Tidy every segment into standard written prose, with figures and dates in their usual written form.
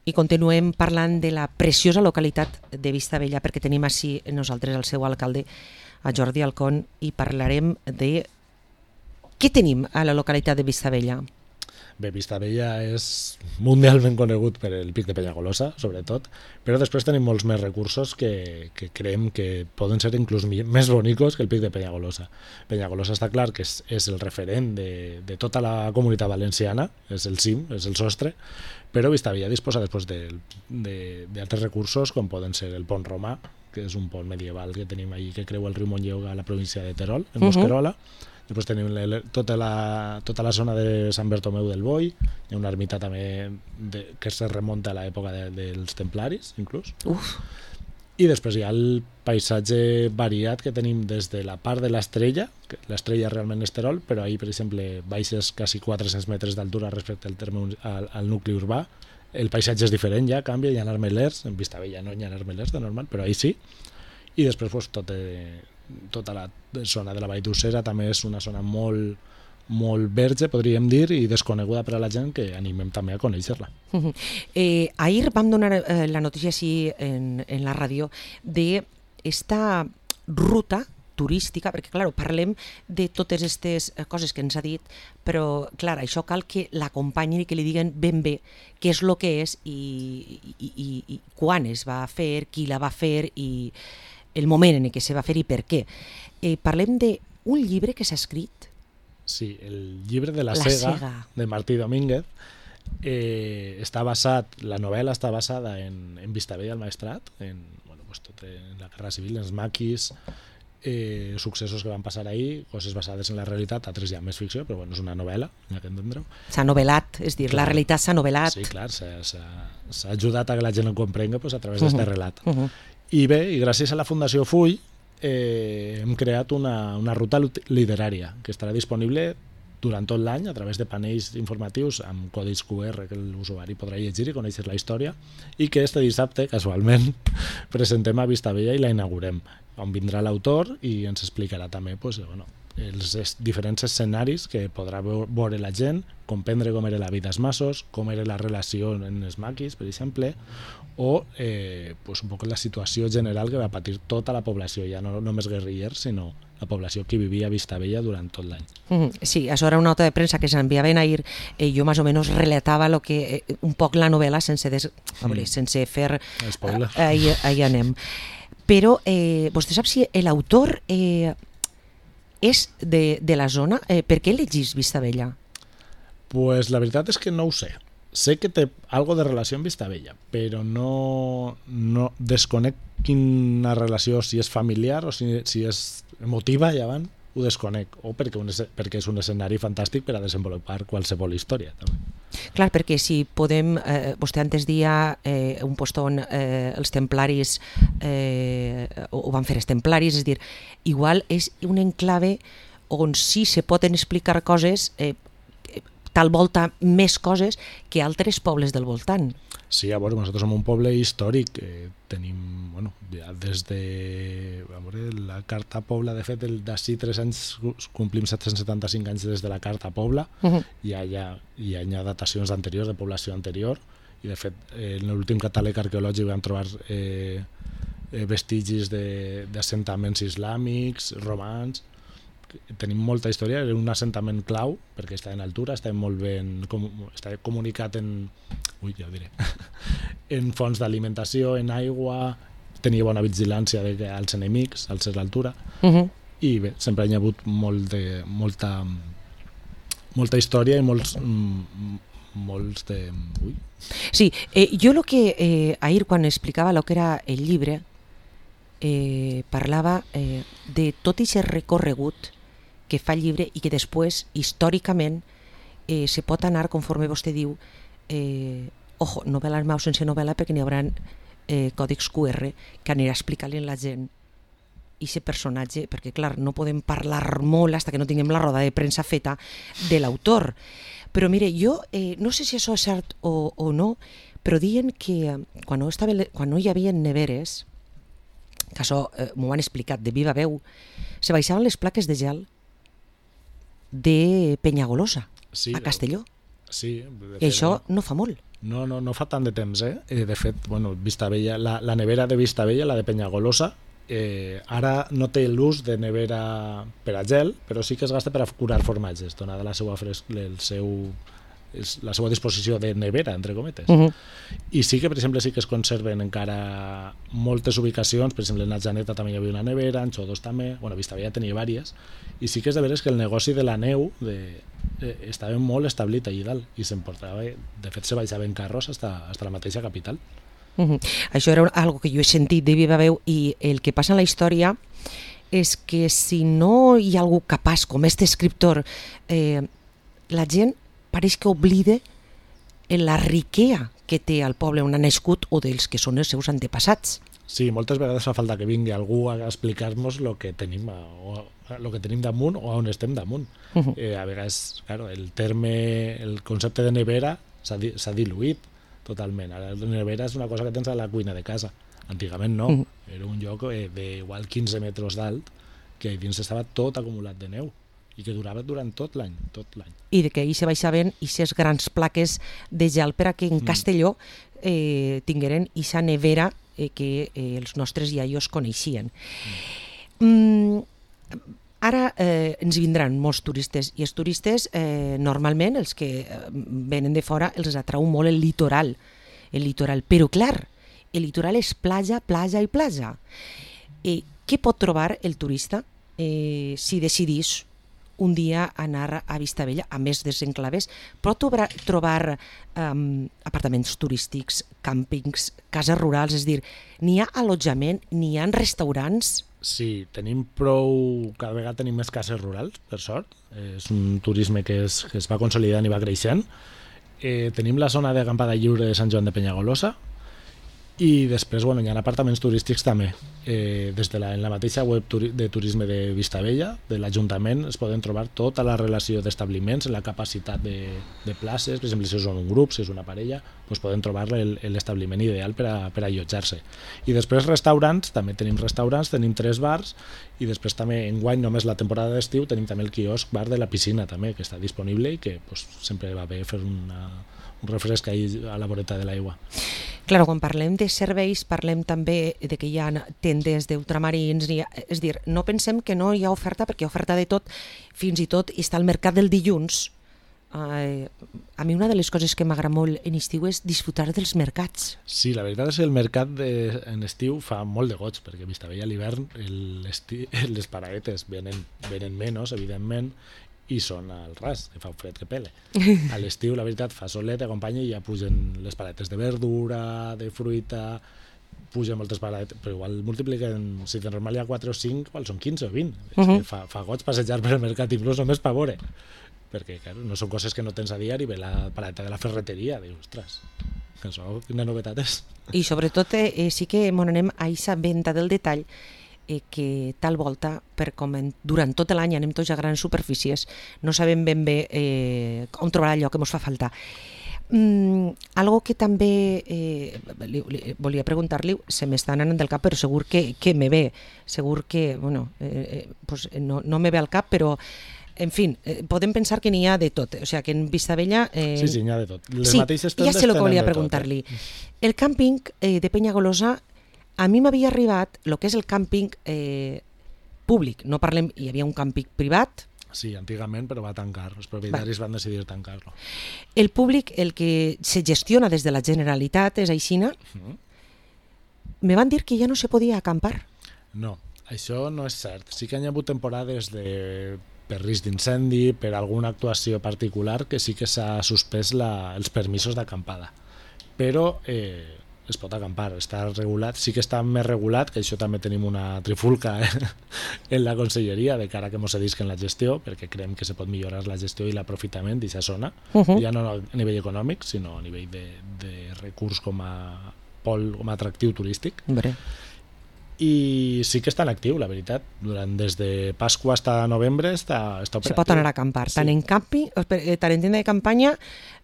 I continuem parlant de la preciosa localitat de Vistabella, perquè tenim així nosaltres el seu alcalde, a Jordi Alcón, i parlarem de què tenim a la localitat de Vistabella. Bé, Vistabella és mundialment conegut per el Pic de Penyagolosa, sobretot, però després tenim molts més recursos que creiem que poden ser inclús més bonicos que el Pic de Penyagolosa. Penyagolosa està clar que és el referent de tota la comunitat valenciana, és el cim, és el sostre, però Vistabella disposa després d'altres recursos, com poden ser el pont romà, que és un pont medieval que tenim ahí que creua el riu Montlleó a la província de Terol, en Bosquerola. Després tenim tota la zona de Sant Bertomeu del Boi, hi ha una ermita també que se remunta a l'època dels templaris, inclús. I després hi ha el paisatge variat que tenim des de la part de l'Estrella, que l'Estrella realment és Terol, però ahir, per exemple, baixes quasi 400 metres d'altura respecte al nucli urbà. El paisatge és diferent ja, canvia, hi ha armelers, en Vistabella no hi ha armelers de normal, però ahir sí. I després tota la zona de la Vall d'Ussera també és una zona molt verge, podríem dir, i desconeguda per a la gent, que animem també a conèixer-la. Ahir vam donar la notícia així en la ràdio d'esta ruta turística, perquè clar, parlem de totes aquestes coses que ens ha dit, però clar, això cal que l'acompanyin i que li diguen ben bé què és el que és i quan es va fer, qui la va fer i el moment en què se va fer i per què. Parlem d'un llibre que s'ha escrit. Sí, el llibre de la Sega, de Martí Domínguez. La novel·la està basada en Vistabella al Maestrat, en la Guerra Civil, els maquis, successos que van passar ahir, coses basades en la realitat, altres ja més ficció, però és una novel·la, ja que entendreu. S'ha novel·lat, és dir, la realitat s'ha novel·lat. Sí, clar, s'ha ajudat a que la gent ho comprenga a través d'aquest relat. I bé, i gràcies a la Fundació Full hem creat una ruta literària que estarà disponible durant tot l'any a través de panells informatius amb codis QR que l'usuari podrà llegir i conèixer la història, i que este dissabte, casualment, presentem a Vistabella i la inaugurem, on vindrà l'autor i ens explicarà també els diferents escenaris que podrà veure la gent, comprendre com era la vida als masos, com era la relació en els maquis, per exemple, o un poc la situació general que va patir tota la població, ja no només guerrillers, sinó la població que vivia a Vistabella durant tot l'any. Sí, això era una nota de premsa que s'enviaven ahir, jo més o menys relatava un poc la novel·la sense fer spoiler. Ahí anem. Però vostè sap si l'autor és de la zona? Per què elegís Vistabella? Pues la veritat és que no ho sé. Sé que té algo de relació amb Vistabella, però no desconec quina relació, si és familiar o si és emotiva, ja van, ho desconec, o perquè és un escenari fantàstic per a desenvolupar qualsevol història, també. Clar, perquè si podem, vostè antes dia un post on els templaris ho van fer els templaris, és dir, igual és un enclave on sí se poden explicar coses, tal volta més coses que altres pobles del voltant. Sí, a veure, nosaltres som un poble històric, tenim, ja des de la Carta Pobla, de fet, d'ací 3 anys complim 775 anys des de la Carta Pobla, hi ha datacions anteriors, de població anterior, i de fet, en l'últim catàleg arqueològic vam trobar vestigis d'assentaments islàmics, romans. Tenim molta història, era un assentament clau perquè està en altura, està molt ben comunicat en fonts d'alimentació, en aigua, tenia bona vigilància als enemics al ser l'altura, i bé, sempre hi ha hagut molta història i molts de... Sí, jo el que ahir quan explicava el que era el llibre parlava de tot aquest recorregut que fa el llibre i que després, històricament, se pot anar, conforme vostè diu, novel·la al mau sense novel·la, perquè n'hi haurà còdics QR que anirà explicant-li a la gent i aquest personatge, perquè clar, no podem parlar molt fins que no tinguem la roda de premsa feta de l'autor. Però mire, jo no sé si això és cert o no, però diuen que quan no hi havia neveres, que això m'ho han explicat de viva veu, se baixaven les plaques de gel de Penyagolosa, a Castelló. Sí, I això no fa molt. No fa tant de temps, de fet, bueno, Vistabella, la nevera de Vistabella, la de Penyagolosa, ara no té l'ús de nevera per a gel, però sí que es gasta per a curar formatges, donada la seva la seva disposició de nevera, entre cometes. I sí que, per exemple, sí que es conserven encara moltes ubicacions, per exemple, en Atjaneta també hi havia una nevera, en Xodos també, bueno, Vistabella tenia diverses, i sí que és de veres que el negoci de la neu estava molt establit allà dalt, i s'emportava, de fet se baixava en carros fins a la mateixa capital. Això era algo que jo he sentit de viva veu, i el que passa en la història és que si no hi ha algú capaç com este escriptor, la gent pareix que oblida la riquea que té el poble on ha nascut o dels que són els seus antepassats. Sí, moltes vegades fa falta que vingui algú a explicar-nos el que tenim damunt o on estem damunt. A vegades, claro, el concepte de nevera s'ha diluït totalment. Ara la nevera és una cosa que tens a la cuina de casa. Antigament no, era un lloc d'igual 15 metres d'alt que dins estava tot acumulat de neu i que durava durant tot l'any. I de que ahir se baixaven aquestes grans plaques de gel per a que en Castelló tingueren aquesta nevera que els nostres iaios coneixien. Ara ens vindran molts turistes, i els turistes normalment, els que venen de fora, els atrau molt el litoral. Però clar, el litoral és platja, platja i platja. Què pot trobar el turista si decidís un dia anar a Vistabella, a més desenclaves? Pot trobar apartaments turístics, càmpings, cases rurals, és a dir, n'hi ha allotjament, n'hi ha restaurants? Sí, tenim prou, cada vegada tenim més cases rurals, per sort. És un turisme que es va consolidant i va creixent. Tenim la zona d'acampada lliure de Sant Joan de Penyagolosa, i després hi ha apartaments turístics també. En la mateixa web de turisme de Vistabella, de l'Ajuntament, es poden trobar tota la relació d'establiments, la capacitat de places, per exemple, si són un grup, si és una parella, poden trobar l'establiment ideal per a allotjar-se. I després restaurants, també tenim restaurants, tenim 3 bars, i després també enguany, només la temporada d'estiu, tenim també el quiosc bar de la piscina també, que està disponible i que sempre va bé fer un refresc a la voreta de l'aigua. Clar, quan parlem de serveis, parlem també de que hi ha tendes d'ultramarins, és a dir, no pensem que no hi ha oferta, perquè hi ha oferta de tot, fins i tot està el mercat del dilluns. A mi una de les coses que m'agrada molt en estiu és disfrutar dels mercats. Sí, la veritat és que el mercat en estiu fa molt de goig, perquè a Vistabella a l'hivern les paraetes venen menys, evidentment, i són al ras, que fa un fred que pele. A l'estiu, la veritat, fa solet, acompanya i ja pugen les paletes de verdura, de fruita, pugen moltes paletes, però igual multipliquen, si de normal hi ha 4 o 5, igual són 15 o 20. És que fa goig passejar per el mercat, inclús només per veure, perquè claro, no són coses que no tens a diari, ve la paleta de la ferreteria, dius, ostres, que això, quina novetat és. I sobretot sí que anem a aquesta venda del detall, que tal volta, durant tot l'any anem tots a grans superfícies, no sabem ben bé on trobar allò que ens fa falta. Algo que també volia preguntar-li, se m'està anant del cap, però segur que me ve, segur que, no me ve al cap, però en fi, podem pensar que n'hi ha de tot, o sigui que en Vistabella... Sí, n'hi ha de tot. Sí, ja sé el que volia preguntar-li. El càmping de Penyagolosa, a mi m'havia arribat el que és el càmping públic, no parlem, hi havia un càmping privat. Sí, antigament, però va tancar, els propietaris van decidir tancar-lo. El públic, el que se gestiona des de la Generalitat, és aixina, me van dir que ja no se podia acampar. No, això no és cert. Sí que hi ha hagut temporades per risc d'incendi, per alguna actuació particular, que sí que s'ha suspès els permisos d'acampada. Però es pot acampar, està regulat, sí que està més regulat, que això també tenim una trifulca en la conselleria de cara que ens cedisquen la gestió, perquè creiem que se pot millorar la gestió i l'aprofitament d'aquesta zona, ja no a nivell econòmic, sinó a nivell de recurs com a pol, com a atractiu turístic. I sí que està en actiu, la veritat. Des de Pasqua fins a novembre està operatiu. Se pot anar a acampar, tant en càmping, tant en tenda de campanya.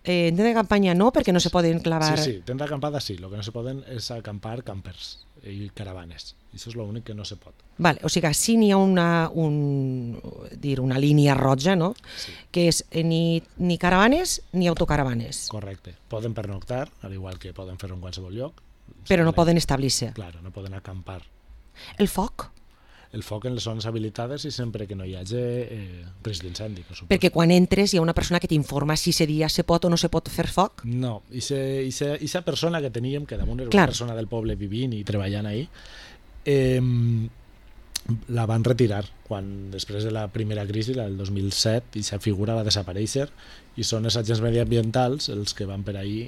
En tenda de campanya no, perquè no se poden clavar... Sí, tenda d'acampada sí, el que no se poden és acampar campers. i caravanes. I això és l'únic que no se pot. Vale, o sigui, sí n'hi ha una línia roja, no? Sí. Que és ni caravanes ni autocaravanes. Correcte. Poden pernoctar, al igual que poden fer-ho en qualsevol lloc. Però no poden establir-se. Claro, no poden acampar. El foc? El foc en les zones habilitades i sempre que no hi hagi risc d'incendi. Perquè quan entres hi ha una persona que t'informa si ese dia se pot o no se pot fer foc? No, aquesta persona que teníem, que damunt era una persona del poble vivint i treballant ahí, la van retirar quan després de la primera crisi, la del 2007, i aquesta figura va desaparèixer i són els agents mediambientals els que van per ahí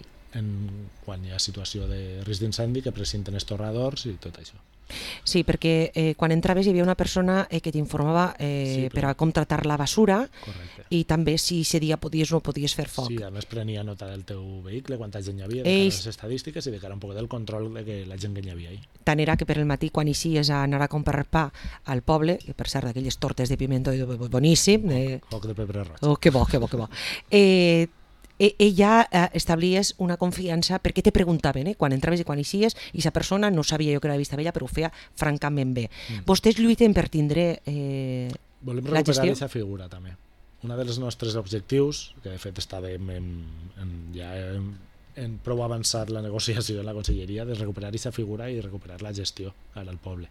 quan hi ha situació de risc d'incendi que precinten els torradors i tot això. Sí, perquè quan entraves hi havia una persona que t'informava per a com tratar la basura. Correcte. I també si ese dia podies o no podies fer foc. Sí, a més prenia nota del teu vehicle, quanta gent hi havia, de cara a les estadístiques i de cara un poc del control de que la gent que hi havia ahí. Tant era que per el matí quan eixies a anar a comprar pa al poble, que per cert d'aquelles tortes de pimiento boníssim. Foc de pebre roig. Oh, que bo, que bo, que bo. Ella establies una confiança perquè te preguntaven, quan entraves i quan eixies, i aquesta persona no sabia jo que era Vista Vella, però ho feia francament bé. Vostès lluiten per tindre volem la gestió? recuperar aquesta figura també. Un dels nostres objectius, que de fet estàvem ja en prou avançat la negociació en la conselleria, de recuperar aquesta figura i recuperar la gestió ara al poble.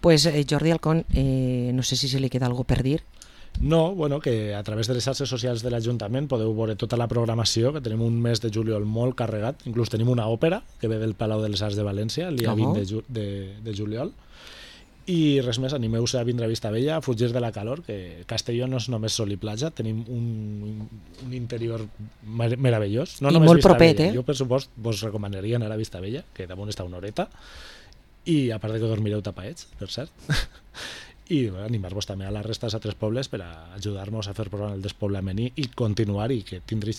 Pues Jordi Alcón, no sé si se li queda alguna cosa per dir. No, bueno, que a través de les xarxes socials de l'Ajuntament podeu veure tota la programació, que tenim un mes de juliol molt carregat, inclús tenim una òpera que ve del Palau de les Arts de València el dia 20 de juliol, i res més, animeu-se a vindre a Vista Vella, a fugir de la calor, que Castelló no és només sol i platja, tenim un interior meravellós. No i només molt Vista propet, Vella. Jo per supost vos recomanaria anar a Vista Vella, que damunt està una horeta, i a part de que dormireu tapaets, per cert, i animar-vos també a la resta dels altres pobles per a ajudar-nos a fer programa el despoblament i continuar i que tindreu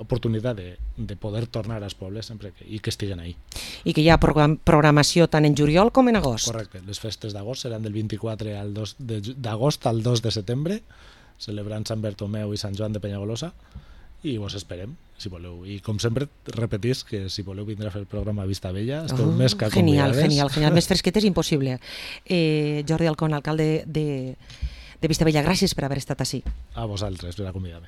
oportunitat de poder tornar als pobles sempre i que estiguen ahí. I que hi ha programació tant en juliol com en agost. Correcte, les festes d'agost seran del 24 d'agost al 2 de setembre, celebrant Sant Bertomeu i Sant Joan de Penyagolosa, i vos esperem, si voleu. I com sempre, repetís que si voleu vindre a fer el programa a Vista Vella, esteu més que convidades. Genial, més fresquet és impossible. Jordi Alcón, alcalde de Vista Vella, gràcies per haver estat ací. A vosaltres per acomiadar-me.